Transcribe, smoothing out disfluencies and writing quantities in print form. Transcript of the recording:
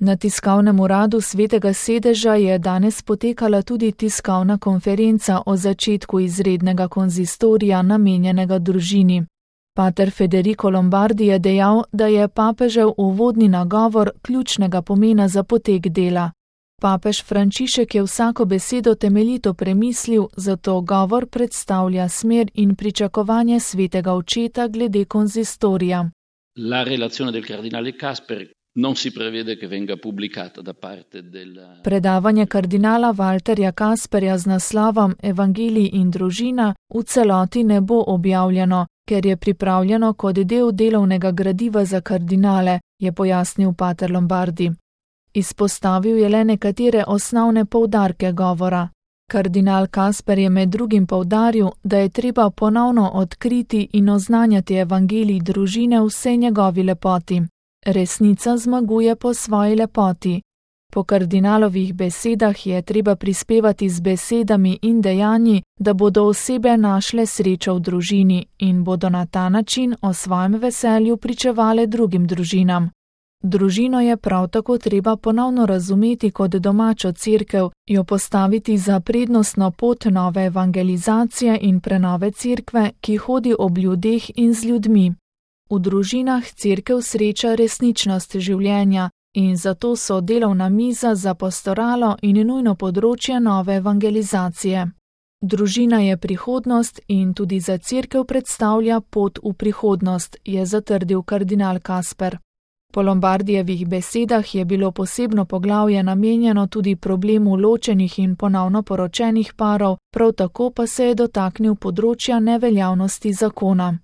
Na tiskovnem uradu Svetega sedeža je danes potekala tudi tiskovna konferenca o začetku izrednega konzistorija namenjenega družini. Pater Federico Lombardi je dejal, da je papežev uvodni nagovor ključnega pomena za potek dela. Papež Frančišek je vsako besedo temeljito premislil, zato govor predstavlja smer in pričakovanje svetega očeta glede konzistorija. La relazione del cardinale Kasper non si prevede che venga pubblicata da parte del... Predavanje kardinala Walterja Kasperja z naslovom Evangelij in družina v celoti ne bo objavljeno, ker je pripravljeno kot del delovnega gradiva za kardinale, je pojasnil pater Lombardi. Izpostavil je le nekatere osnovne poudarke govora. Kardinal Kasper je med drugim poudaril, da je treba ponovno odkriti in oznanjati evangelij družine v vsej njegovi lepoti. Resnica zmaguje po svoji lepoti. Po kardinalovih besedah je treba prispevati z besedami in dejanji, da bodo osebe našle srečo v družini in bodo na ta način o svojem veselju pričevale drugim družinam. Družino je prav tako treba ponovno razumeti kot domačo cerkev, jo postaviti za prednostno pot nove evangelizacije in prenove cerkve, ki hodi ob ljudeh in z ljudmi. V družinah cerkev sreča resničnost življenja in zato so delovna miza za pastoralo in nujno področje nove evangelizacije. Družina je prihodnost in tudi za cerkev predstavlja pot v prihodnost, je zatrdil kardinal Kasper. Po Lombardijevih besedah je bilo posebno poglavje namenjeno tudi problemu ločenih in ponovno poročenih parov, prav tako pa se je dotaknil področja neveljavnosti zakona.